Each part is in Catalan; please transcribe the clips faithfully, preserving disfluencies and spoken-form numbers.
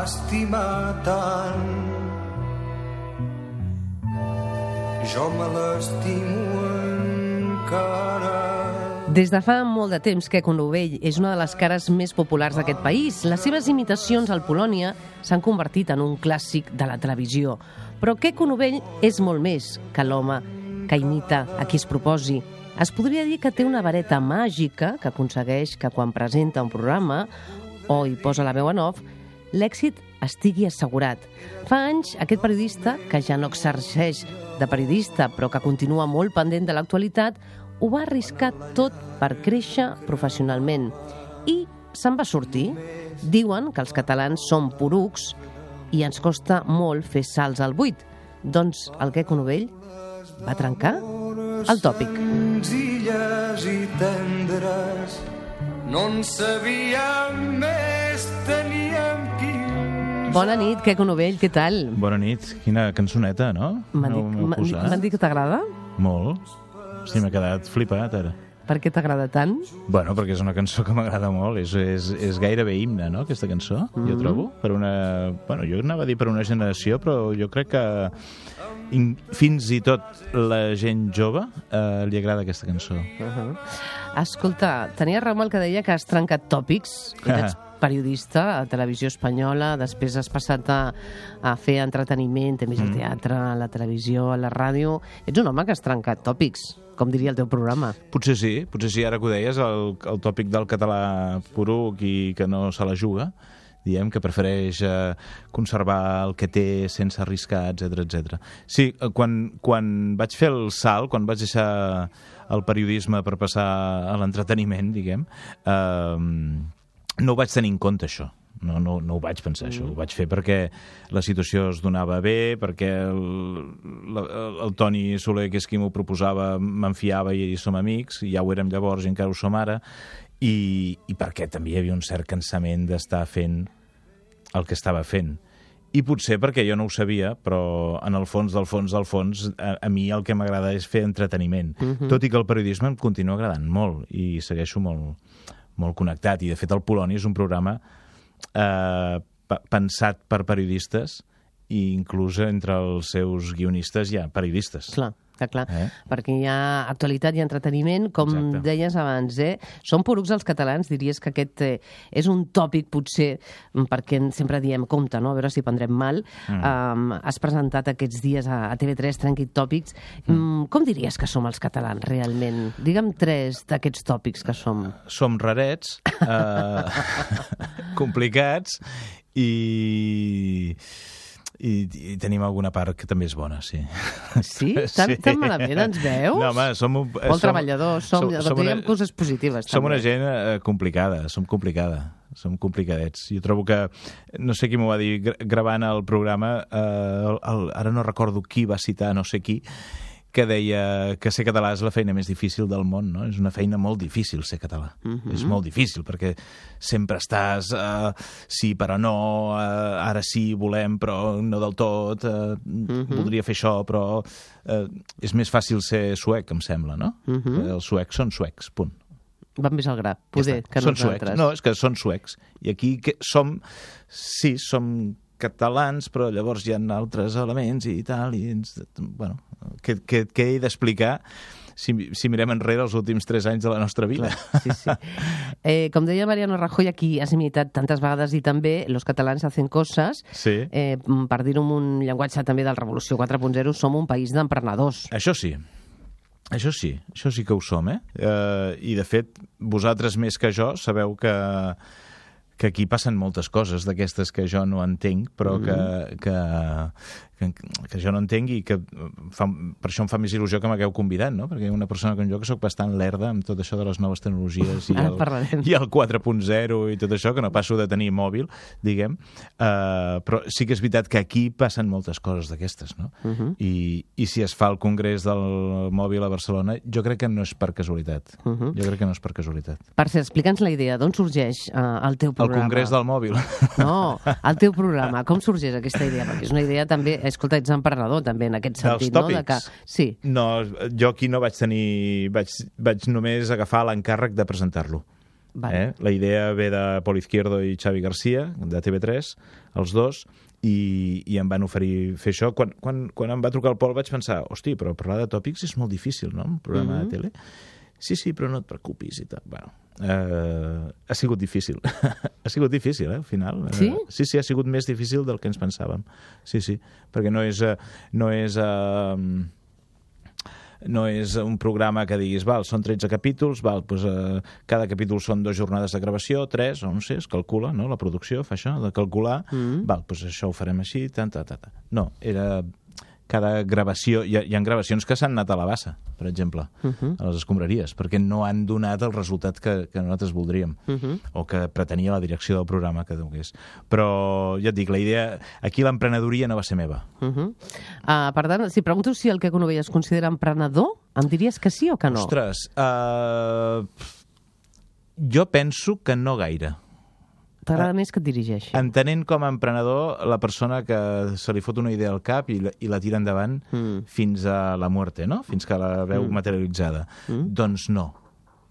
estimar tant. Jo me l'estimo encara. Des de fa molt de temps, Queco Novell és una de les cares més populars d'aquest país. Les seves imitacions al Polònia s'han convertit en un clàssic de la televisió. Però Queco Novell és molt més que l'home que imita a qui es proposi. Es podria dir que té una vareta màgica que aconsegueix que quan presenta un programa o hi posa la veu en off, l'èxit estigui assegurat. Fa anys, aquest periodista, que ja no exerceix de periodista, però que continua molt pendent de l'actualitat, ho va arriscar tot per créixer professionalment. I se'n va sortir. Diuen que els catalans som porucs i ens costa molt fer salts al buit. Doncs el Queco Novell va trencar el tòpic. Senzilles i tendres, no en sabíem més, teníem quinze. Bona nit, Queco Novell, què tal? Bona nit. Quina cançoneta, no? M'han dit, M'heu m'han posat. m'han dit que t'agrada? Molt. Sí, m'ha quedat flipat, ara. Per què t'agrada tant? Bueno, perquè és una cançó que m'agrada molt. És, és, és gairebé himne, no?, aquesta cançó, mm-hmm. jo trobo. Per una... Bueno, jo anava a dir per una generació, però jo crec que in, fins i tot la gent jove eh, li agrada aquesta cançó. Uh-huh. Escolta, tenia raó el que deia que has trencat tòpics. Ets periodista a Televisió Espanyola, després has passat a, a fer entreteniment, també al teatre, a la televisió, a la ràdio. Ets un home que has trencat tòpics, com diria el teu programa. Potser sí, potser sí, ara que ho deies, el, el tòpic del català poruc i que no se la juga, diem que prefereix eh, conservar el que té sense arriscar, etcètera, etcètera. Sí, quan, quan vaig fer el salt, quan vaig deixar el periodisme per passar a l'entreteniment, diguem, eh, no ho vaig tenir en compte, això. No, no, no ho vaig pensar, mm. això. Ho vaig fer perquè la situació es donava bé, perquè el, el, el Toni Soler, que és qui m'ho proposava, m'enfiava i som amics, i ja ho érem llavors i encara ho som ara, i, i perquè també hi havia un cert cansament d'estar fent el que estava fent. I potser perquè jo no ho sabia, però en el fons del fons del fons, a, a mi el que m'agrada és fer entreteniment. Mm-hmm. Tot i que el periodisme em continua agradant molt, i segueixo molt, molt connectat. I, de fet, el Polònia és un programa eh, pensat per periodistes, i inclús entre els seus guionistes hi ha periodistes. Clar, clar, clar. Eh? Perquè hi ha actualitat i entreteniment, com Exacte. deies abans, eh? Són porucs els catalans, diries que aquest eh, és un tòpic, potser, perquè sempre diem, compte, no?, a veure si prendrem mal. Mm. Um, has presentat aquests dies a, a T V tres Trenqui Tòpics. Mm. Um, com diries que som els catalans, realment? Digue'm tres d'aquests tòpics que som. Som rarets, eh, complicats, i... I, i tenim alguna part que també és bona, sí. Sí? Tan, sí. tan malament ens veus? No, home, som... Un, Molt som, treballadors, som, som, som diguem una, coses positives. Som també. una gent eh, complicada, som complicada, som complicadets. Jo trobo que, no sé qui m'ho va dir, gravant el programa, eh, el, el, ara no recordo qui va citar, no sé qui, que deia que ser català és la feina més difícil del món, no? És una feina molt difícil ser català. Uh-huh. És molt difícil, perquè sempre estàs uh, sí, però no, uh, ara sí, volem, però no del tot, uh, uh-huh. voldria fer això, però uh, és més fàcil ser suec, em sembla, no? Uh-huh. Els suecs són suecs, punt. Van més al gra, poder, ja que són nosaltres. Suecs. No, és que són suecs. I aquí que som, sí, som catalans, però llavors hi ha altres elements i tal, i ens, bueno, què, què, què he d'explicar si, si mirem enrere els últims tres anys de la nostra vida? Clar, sí, sí. Eh, com deia Mariano Rajoy, aquí has imitat tantes vegades i també los catalans hacen coses, sí. eh, per dir-ho amb un llenguatge també del Revolució quatre punt zero, som un país d'emprenedors. Això sí. Això sí, això sí que ho som, eh? eh? I, de fet, vosaltres més que jo sabeu que que aquí passen moltes coses d'aquestes que jo no entenc, però mm-hmm. que, que, que, que jo no entenc i que fa, per això em fa més il·lusió que m'hagueu convidat, no? Perquè una persona com jo que sóc bastant lerda amb tot això de les noves tecnologies i, el, i el quatre punt zero i tot això, que no passo de tenir mòbil, diguem, uh, però sí que és veritat que aquí passen moltes coses d'aquestes, no? Mm-hmm. I, I si es fa el congrés del mòbil a Barcelona, jo crec que no és per casualitat. Mm-hmm. Jo crec que no és per casualitat. Per cert, explica'ns la idea, d'on sorgeix uh, el teu programa? El congrés del mòbil. No, el teu programa, com sorgeix aquesta idea? Perquè és una idea també, escolta, ets emprenedor també en aquest sentit, no? De que... Sí. No, jo aquí no vaig tenir... Vaig, vaig només agafar l'encàrrec de presentar-lo. Vale. Eh? La idea ve de Pol Izquierdo i Xavi García, de T V tres, els dos, i, i em van oferir fer això. Quan, quan, quan em va trucar el Pol vaig pensar, hosti, però parlar de tòpics és molt difícil, no?, un programa mm-hmm. de tele. Sí, sí, però no et preocupis i tal. Bueno, eh, ha sigut difícil. ha sigut difícil, eh, al final. Sí? Eh, sí, sí, ha sigut més difícil del que ens pensàvem. Sí, sí, perquè no és... Eh, no és eh, no és un programa que diguis, val, són tretze capítols, val, doncs, eh, cada capítol són dues jornades de gravació, tres, o no sé, es calcula, no?, la producció fa això, de calcular, mm. val, doncs això ho farem així, tant, tant, tant. No, era... cada gravació... Hi ha, hi ha gravacions que s'han anat a la bassa, per exemple, uh-huh. a les escombraries, perquè no han donat el resultat que, que nosaltres voldríem, uh-huh. o que pretenia la direcció del programa que donés. Però, ja et dic, la idea... Aquí l'emprenedoria no va ser meva. Uh-huh. Uh, per tant, si pregunto si el Queco Novell es considera emprenedor, em diries que sí o que no? Ostres, uh, jo penso que no gaire. T'agrada més que et dirigeixi? Entenent com a emprenedor la persona que se li fot una idea al cap i la, i la tira endavant mm. fins a la muerte, no? Fins que la veu mm. materialitzada. Mm. Doncs no,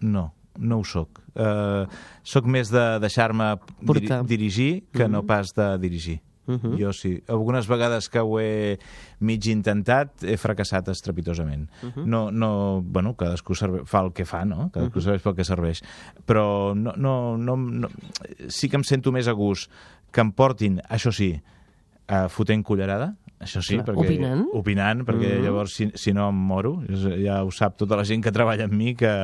no, no ho soc. Uh, soc més de deixar-me dir dirigir que mm. no pas de dirigir. Uh-huh. Jo sí. Algunes vegades que ho he mig intentat he fracassat estrepitosament. Uh-huh. No, no, bueno, cadascú serve, fa el que fa, no? Cadascú uh-huh. serveix pel que serveix. Però no, no, no, no, sí que em sento més a gust que em portin, això sí, a fotent cullerada, això sí, clar, perquè, opinant, opinant perquè uh-huh. llavors si, si no em moro, ja ho sap tota la gent que treballa amb mi, que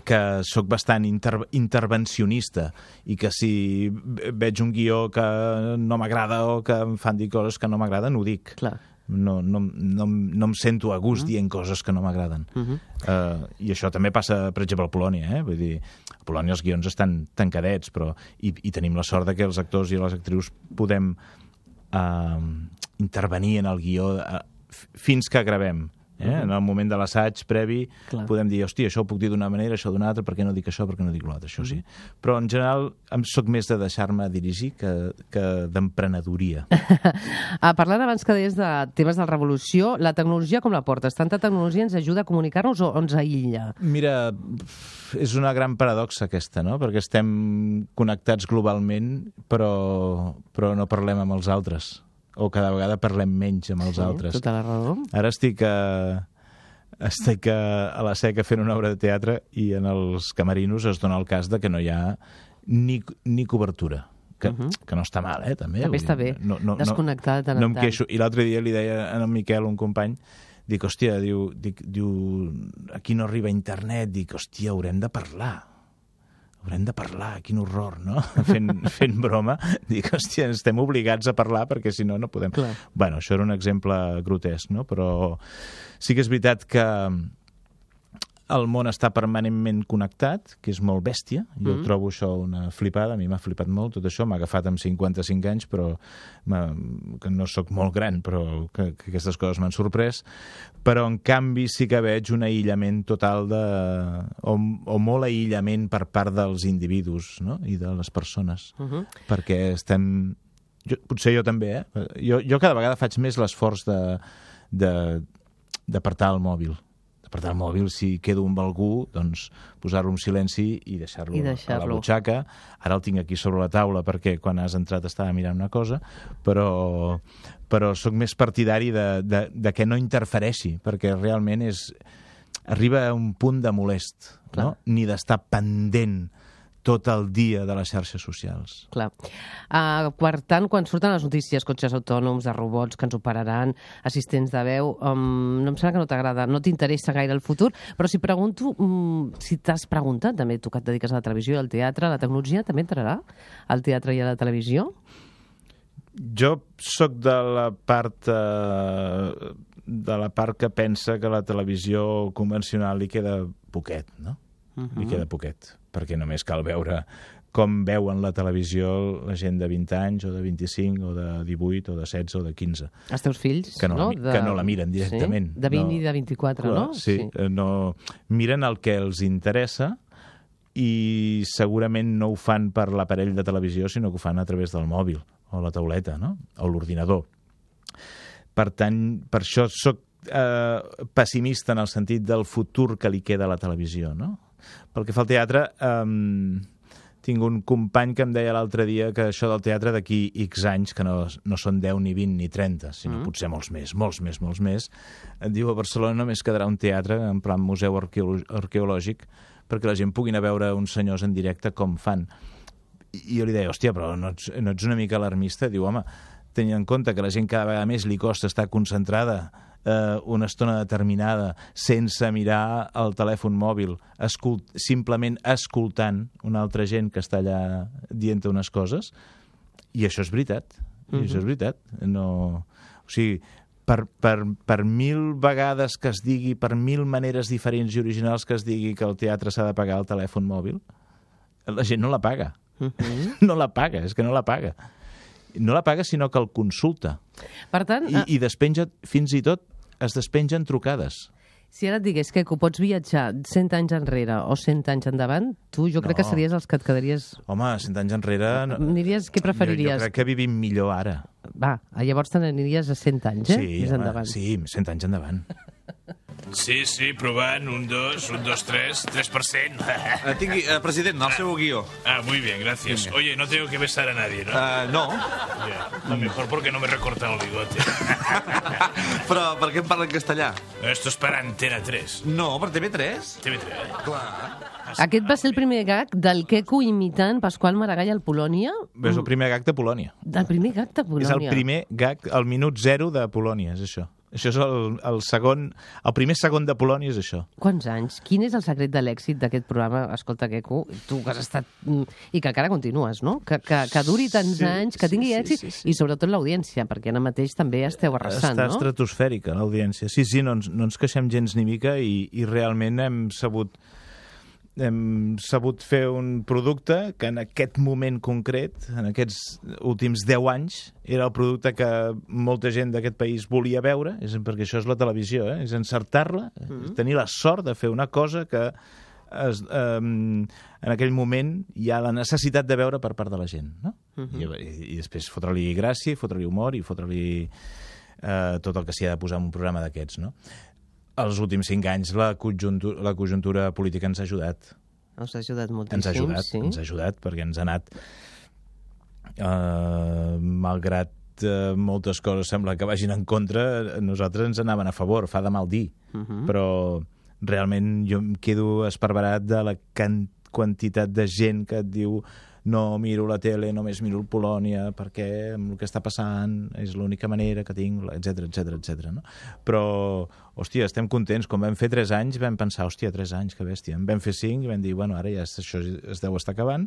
que sóc bastant inter intervencionista i que si veig un guió que no m'agrada o que em fan dir coses que no m'agraden, ho dic. Clar. No, no, no, no em sento a gust uh-huh. dient coses que no m'agraden. Uh-huh. uh, I això també passa, per exemple, a Polònia. Eh? Vull dir, a Polònia els guions estan tancadets, però i, i tenim la sort de que els actors i les actrius podem uh, intervenir en el guió uh, fins que gravem. Eh? Uh-huh. En el moment de l'assaig previ clar. Podem dir, hòstia, això ho puc dir d'una manera, això d'una altra, per què no dic això, per què no dic l'altre, això uh-huh. sí. Però en general em soc més de deixar-me dirigir que, que d'emprenedoria. ah, parlant abans que deies de temes de la revolució, la tecnologia com la portes? Tanta tecnologia ens ajuda a comunicar-nos o ens aïlla? Mira, és una gran paradoxa aquesta, no? Perquè estem connectats globalment, però, però no parlem amb els altres. O cada vegada parlem menys amb els sí, altres. Tota la raó. Ara estic, a, estic a, a la Seca fent una obra de teatre i en els camerinos es dona el cas de que no hi ha ni, ni cobertura. Que, uh-huh. que no està mal, eh, també. També està bé, no, no, desconnectat. No, no em queixo. I l'altre dia li deia a en Miquel, un company, dic, hòstia, diu, dic, diu, aquí no arriba internet, dic, hòstia, haurem de parlar. Haurem de parlar, quin horror, no? Fent, fent broma. Dic, hòstia, estem obligats a parlar perquè si no, no podem... Clar. Bueno, això era un exemple grotesc, no? Però sí que és veritat que el món està permanentment connectat, que és molt bèstia. Jo mm. trobo això una flipada, a mi m'ha flipat molt tot això. M'ha agafat amb cinquanta-cinc anys, però que no sóc molt gran, però que, que aquestes coses m'han sorprès. Però, en canvi, sí que veig un aïllament total de... o, o molt aïllament per part dels individus, no? I de les persones. Uh-huh. Perquè estem... Jo, potser jo també, eh? Jo, jo cada vegada faig més l'esforç de, de, d'apartar el mòbil. D'apartar el mòbil, si quedo amb algú, doncs posar-lo en silenci i deixar-lo deixar a la butxaca. Ara el tinc aquí sobre la taula perquè quan has entrat estava mirant una cosa, però, però sóc més partidari de, de, de que no interfereixi, perquè realment és, arriba a un punt de molest, no? Ni d'estar pendent tot el dia de les xarxes socials. Clar. Uh, per tant, quan surten les notícies, cotxes autònoms, de robots que ens operaran, assistents de veu, um, no em sembla que no t'agrada, no t'interessa gaire el futur, però si pregunto, um, si t'has preguntat, també tu que et dediques a la televisió i al teatre, la tecnologia també entrarà al teatre i a la televisió? Jo sóc de la part eh, de la part que pensa que la televisió convencional li queda poquet, no? Uh-huh. Li queda poquet, perquè només cal veure com veuen la televisió la gent de vint anys, o de vint-i-cinc, o de divuit, o de setze, o de quinze. Els teus fills, que no? no? De... Que no la miren directament. Sí? De vint no. I de vint-i-quatre, clar, no? Sí, sí. No, miren el que els interessa i segurament no ho fan per l'aparell de televisió, sinó que ho fan a través del mòbil, o la tauleta, no? O l'ordinador. Per tant, per això soc eh, pessimista en el sentit del futur que li queda a la televisió, no? Pel que fa al teatre, um, tinc un company que em deia l'altre dia que això del teatre d'aquí X anys, que no, no són deu, ni vint, ni trenta, sinó mm. potser molts més, molts més, molts més, et diu a Barcelona només quedarà un teatre en plan museu arqueolo arqueològic perquè la gent pugui anar a veure uns senyors en directe com fan. I jo li deia, hòstia, però no ets, no ets una mica alarmista? Diu, home, tenint en compte que la gent cada vegada més li costa estar concentrada eh, una estona determinada sense mirar el telèfon mòbil, escult, simplement escoltant una altra gent que està allà dient unes coses, i això és veritat, i uh-huh. això és veritat. No... O sigui, per, per, per mil vegades que es digui, per mil maneres diferents i originals que es digui que el teatre s'ha de pagar el telèfon mòbil, la gent no la paga. Uh-huh. No la paga, és que no la paga. No la paga, sinó que el consulta. Per tant... I, i despenja, fins i tot es despengen trucades. Si ara et digués que pots viatjar cent anys enrere o cent anys endavant, tu jo crec no. que series els que et quedaries... Home, cent anys enrere... No. Aniries, què preferiries? Jo, jo crec que vivim millor ara. Va, llavors te n'aniries a cent anys, eh? Sí, Més home, endavant. sí, cent anys endavant. Sí, sí, provant, un, dos, un, dos, tres, tres por cent. Uh, tingui, uh, president, el seu guió. Ah, muy bien, gracias. Venga. Oye, no tengo que besar a nadie, ¿no? Uh, no, Ya, lo mejor porque no me he recortado el bigote. però per què em parla en castellà? Esto es para Antena tres. No, per T V tres. T V tres, ¿eh? Clar. Aquest va ser el primer gag del Queco imitant Pasqual Maragall al Polònia? És el primer gag de Polònia. El primer gag de Polònia. És el primer gag, el minut zero de Polònia, és això. Això és el, el segon... El primer segon de Polònia és això. Quants anys? Quin és el secret de l'èxit d'aquest programa? Escolta, Queco, tu que has estat... I que encara continues, no? Que, que, que duri tants sí, anys, que tingui sí, èxit, sí, sí, sí. I sobretot l'audiència, perquè ara mateix també esteu arrasant, Està no? estratosfèrica, l'audiència. Sí, sí, no ens, no ens queixem gens ni mica i, i realment hem sabut... hem sabut fer un producte que en aquest moment concret, en aquests últims deu anys, era el producte que molta gent d'aquest país volia veure, és perquè això és la televisió, eh? És encertar-la, mm-hmm. tenir la sort de fer una cosa que es, eh, en aquell moment hi ha la necessitat de veure per part de la gent, no? Mm-hmm. I, i després fotre-li gràcia, fotre-li humor i fotre-li eh, tot el que s'hi ha de posar en un programa d'aquests, no? Els últims cinc anys la conjuntura, la conjuntura política ens ha ajudat. Us ha ajudat moltíssim, ens ha ajudat, sí. Ens ha ajudat, perquè ens ha anat... Eh, malgrat eh, moltes coses sembla que vagin en contra, nosaltres ens anaven a favor, fa de mal dir. Uh-huh. Però realment jo em quedo esparverat de la can- quantitat de gent que et diu no miro la tele, només miro el Polònia, perquè amb el que està passant és l'única manera que tinc, etcètera, etcètera, etcètera, no? Però, hòstia, estem contents. Quan vam fer tres anys vam pensar, hòstia, tres anys, que bèstia. En vam fer cinc i vam dir, bueno, ara ja això es deu estar acabant,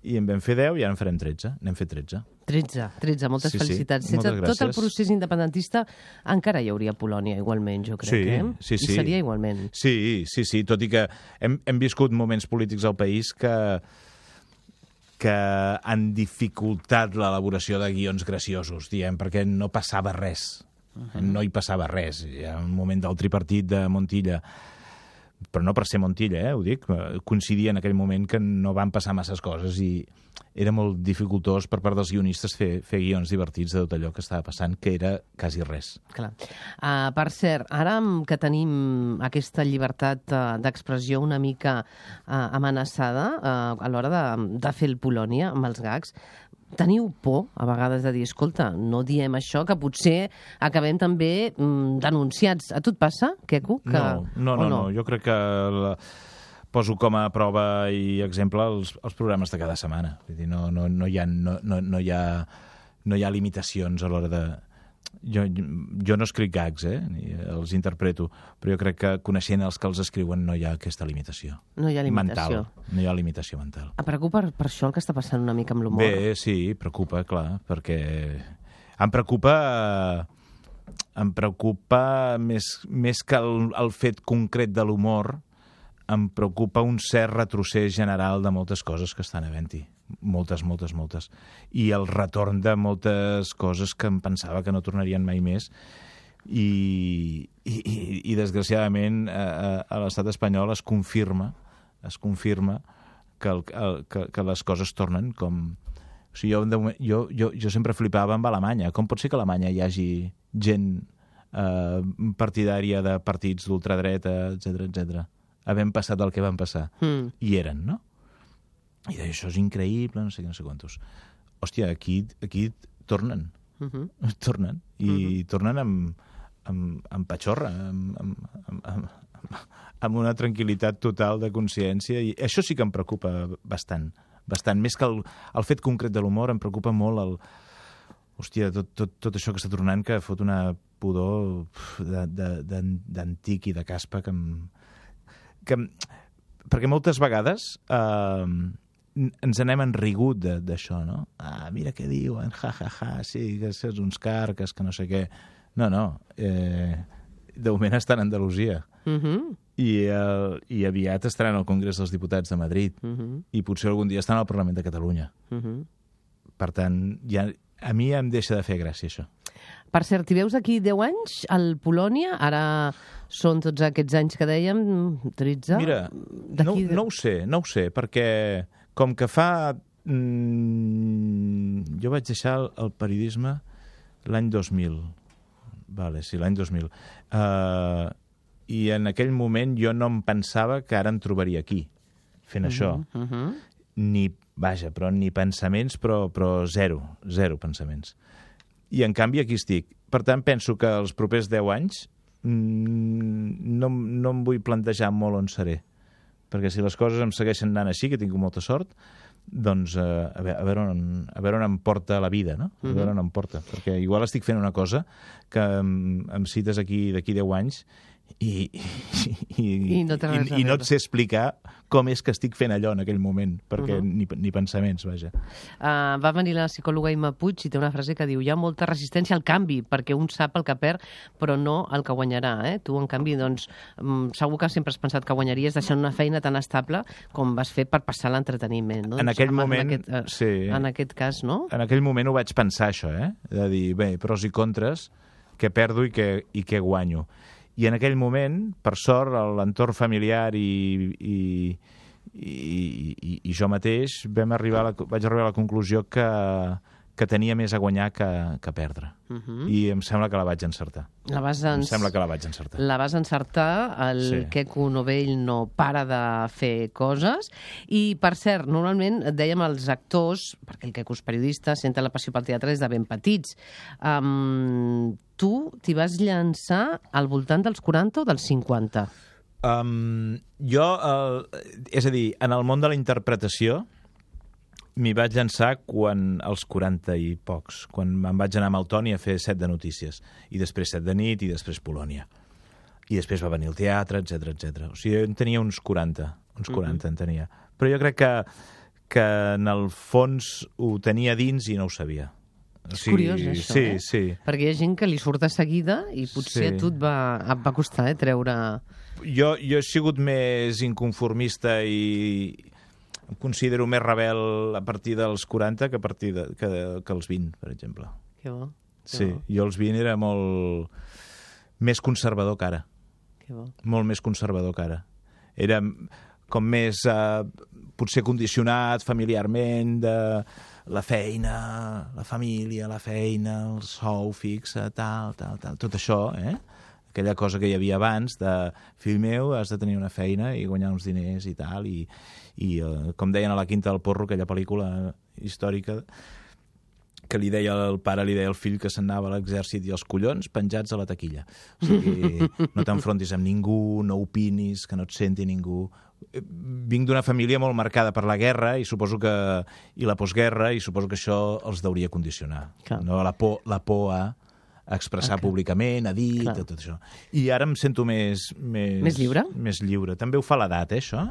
i en vam fer deu i ara en farem tretze. N'hem fet tretze. tretze, tretze, moltes Sí, sí, felicitats. moltes Sense tot el gràcies. procés independentista encara hi hauria Polònia igualment, jo crec, Sí, eh? sí, sí. I seria igualment. Sí, sí, sí, tot i que hem, hem viscut moments polítics al país que que han dificultat l'elaboració de guions graciosos, diem, perquè no passava res. Uh-huh. No hi passava res. Hi ha un moment del tripartit de Montilla, però no per ser Montilla, eh, ho dic, coincidia en aquell moment que no van passar masses coses i era molt dificultós per part dels guionistes fer, fer guions divertits de tot allò que estava passant, que era quasi res. Clar. Uh, per cert, ara que tenim aquesta llibertat uh, d'expressió una mica uh, amenaçada uh, a l'hora de, de fer el Polònia amb els gags, teniu por a vegades de dir, escolta, no diem això, que potser acabem també mm, denunciats. A tu et passa, Queco? Que... No, no, no, no, no, jo crec que la... poso com a prova i exemple els, els programes de cada setmana. Vull dir, no, no, no, hi ha, no, no, no, hi ha, no hi ha limitacions a l'hora de... Jo, jo no escric gags, eh? Ni els interpreto, però jo crec que coneixent els que els escriuen no hi ha aquesta limitació. No hi ha limitació. Mental. No hi ha limitació mental. Em preocupa per, per això el que està passant una mica amb l'humor. Bé, sí, preocupa, clar, perquè em preocupa... Em preocupa més, més que el, el fet concret de l'humor, em preocupa un cert retrocés general de moltes coses que estan havent-hi. Moltes, moltes, moltes. I el retorn de moltes coses que em pensava que no tornarien mai més. I, i, i desgraciadament, a, a l'estat espanyol es confirma, es confirma que, el, el, que, que les coses tornen com... O sigui, jo, jo, jo, jo sempre flipava amb Alemanya. Com pot ser que a Alemanya hi hagi gent eh, partidària de partits d'ultradreta, etcètera, etcètera? havent passat el que van passar. Mm. I eren, no? I deia, això és increïble, no sé què, no sé quantos. Hòstia, aquí, aquí tornen. Uh -huh. Tornen. I Uh-huh. tornen amb, amb, amb patxorra, amb, amb, amb, amb, amb una tranquil·litat total de consciència. I això sí que em preocupa bastant. bastant. Més que el, el fet concret de l'humor, em preocupa molt el... Hòstia, tot, tot, tot això que està tornant, que fot una pudor d'antic i de caspa que em... Que em... Perquè moltes vegades eh, ens anem enrigut d'això, no? Ah, mira què diuen, ja, ja, ja, sí, que és uns carques, que no sé què. No, no, eh, de moment estan a Andalusia. Uh -huh. I, el, I aviat estaran al Congrés dels Diputats de Madrid. Uh -huh. I potser algun dia estan al Parlament de Catalunya. Uh -huh. Per tant, ja, a mi em deixa de fer gràcia, això. Per cert, t'hi veus d'aquí deu anys al Polònia? Ara són tots aquests anys que dèiem, tretze? Mira, no, no ho sé, no ho sé, perquè com que fa... Mm, jo vaig deixar el, el periodisme l'any dos mil. Vale, sí, l'any dos mil. Uh, I en aquell moment jo no em pensava que ara em trobaria aquí, fent uh -huh, això. Uh -huh. Ni, vaja, però ni pensaments, però, però zero, zero pensaments. I en canvi aquí estic. Per tant, penso que els propers deu anys mmm, no, no em vull plantejar molt on seré. Perquè si les coses em segueixen anant així, que tinc molta sort, doncs uh, a, veure, a, veure on, a veure on em porta la vida, no? A veure on em porta. Perquè igual estic fent una cosa que em, em cites aquí d'aquí deu anys i, i, i, I, no i, i no et sé explicar com és que estic fent allò en aquell moment, perquè uh -huh. ni, ni pensaments, vaja. Uh, va venir la psicòloga Imma Puig i té una frase que diu: hi ha molta resistència al canvi, perquè un sap el que perd, però no el que guanyarà. Eh? Tu, en canvi, doncs, um, segur que sempre has pensat que guanyaries deixant una feina tan estable com vas fer per passar l'entreteniment. No? En aquell moment, en aquest, uh, sí. En aquest cas, no? En aquell moment ho vaig pensar, això, eh? De dir, bé, pros i contres, què perdo i què, i què guanyo. I en aquell moment, per sort, l'entorn familiar i, i, i, i, i jo mateix vam arribar a la, vaig arribar a la conclusió que, que tenia més a guanyar que, que perdre. Uh -huh. I em sembla que la vaig encertar. La vas en... Em sembla que la vaig encertar. La vas encertar, el sí. Queco Novell no para de fer coses. I, per cert, normalment dèiem als actors, perquè el Queco és periodista, senta la passió pel teatre des de ben petits. Um, tu t'hi vas llançar al voltant dels quaranta o dels cinquanta? Um, jo, uh, és a dir, en el món de la interpretació m'hi vaig llançar quan als quaranta i pocs, quan me'n vaig anar amb el Toni a fer set de notícies, i després set de nit, i després Polònia. I després va venir el teatre, etcètera, etcètera. O sigui, en tenia uns quaranta, uns quaranta uh -huh. en tenia. Però jo crec que, que en el fons ho tenia dins i no ho sabia. O sigui, és curiós, això, sí, eh? Sí. Perquè hi ha gent que li surt de seguida i potser sí. a tu et va, et va costar eh, treure... Jo, jo he sigut més inconformista i em considero més rebel a partir dels quaranta que a partir de, que, que els vint, per exemple. Que bo. Que sí, bo. jo als vint era molt més conservador que ara. Que bo. Molt més conservador que ara. Era com més, eh, potser condicionat familiarment de la feina, la família, la feina, el sou fixe, tal, tal, tal, tot això, eh? Aquella cosa que hi havia abans de fill meu, has de tenir una feina i guanyar uns diners i tal, i, i eh, com deien a la Quinta del Porro, aquella pel·lícula històrica que li deia el pare, li deia al fill que s'anava a l'exèrcit i els collons penjats a la taquilla. O sigui, no t'enfrontis amb ningú, no opinis, que no et senti ningú. Vinc d'una família molt marcada per la guerra i suposo que i la postguerra, i suposo que això els deuria condicionar. Clar. No? La por, la por a expressar okay. públicament, a dir, tot, tot això. I ara em sento més... Més, més lliure? Més lliure. També ho fa l'edat, eh, això?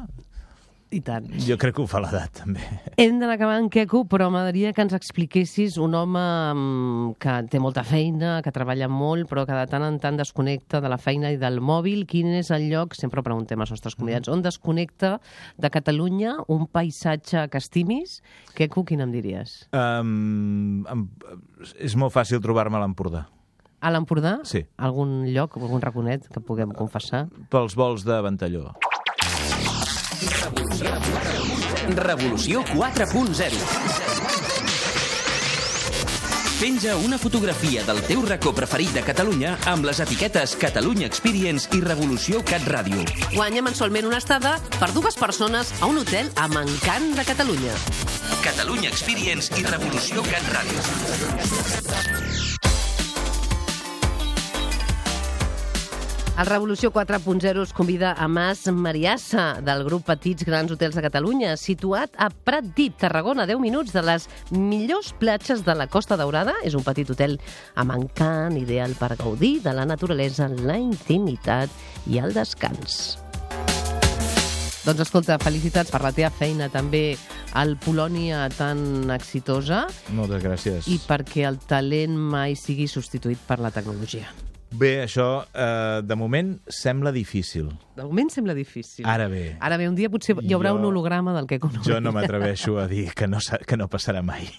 I tant. Jo crec que ho fa l'edat, també. Hem d'anar acabant, Queco, però m'agradaria que ens expliquessis un home que té molta feina, que treballa molt, però que de tant en tant desconnecta de la feina i del mòbil. Quin és el lloc, sempre preguntem als nostres convidats, on desconnecta de Catalunya un paisatge que estimis? Queco, quin em diries? Um, um, és molt fàcil trobar-me a l'Empordà. A l'Empordà? Sí. Algun lloc, algun raconet que puguem confessar? Pels vols de Ventalló. Revolució quatre punt zero. Penja una fotografia del teu racó preferit de Catalunya amb les etiquetes Catalunya Experience i Revolució Cat Ràdio. Guanya mensualment una estada per dues persones a un hotel amb encant de Catalunya. Catalunya Experience i Revolució Cat Ràdio. El Revolució quatre punt zero us convida a Mas Mariassa, del grup Petits Grans Hotels de Catalunya, situat a Pratdip, Tarragona, a deu minuts de les millors platges de la Costa Daurada. És un petit hotel amb encant, ideal per gaudir de la naturalesa, la intimitat i el descans. Doncs escolta, felicitats per la teva feina també al Polònia tan exitosa. Moltes gràcies. I perquè el talent mai sigui substituït per la tecnologia. Bé, això, eh, de moment, sembla difícil. De moment sembla difícil. Ara bé. Ara bé, un dia potser hi haurà Jo- un holograma del que coneixem. Jo no m'atreveixo a dir que no, sa- que no passarà mai.